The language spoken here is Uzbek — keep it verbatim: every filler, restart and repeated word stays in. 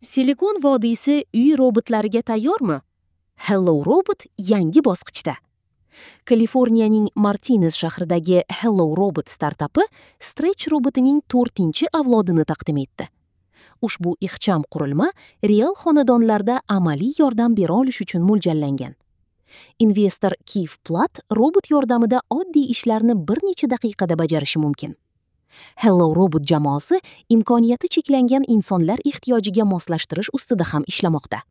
Silikon vodiysi uy robotlariga tayyormi? Hello Robot yangi bosqichda. Kaliforniyaning Martinez shahridagi Hello Robot startapi Stretch robotining to'rtinchi avlodini taqdim etdi. Ushbu ixcham qurilma real xonadonlarda amaliy yordam bera olish uchun mo'ljallangan. Investor Kif Platt robot yordamida oddiy ishlarni bir necha daqiqada bajarishi mumkin. Hello Robot jamoasi imkoniyati cheklangan insonlar ehtiyojiga moslashtirish ustida ham ishlamoqda.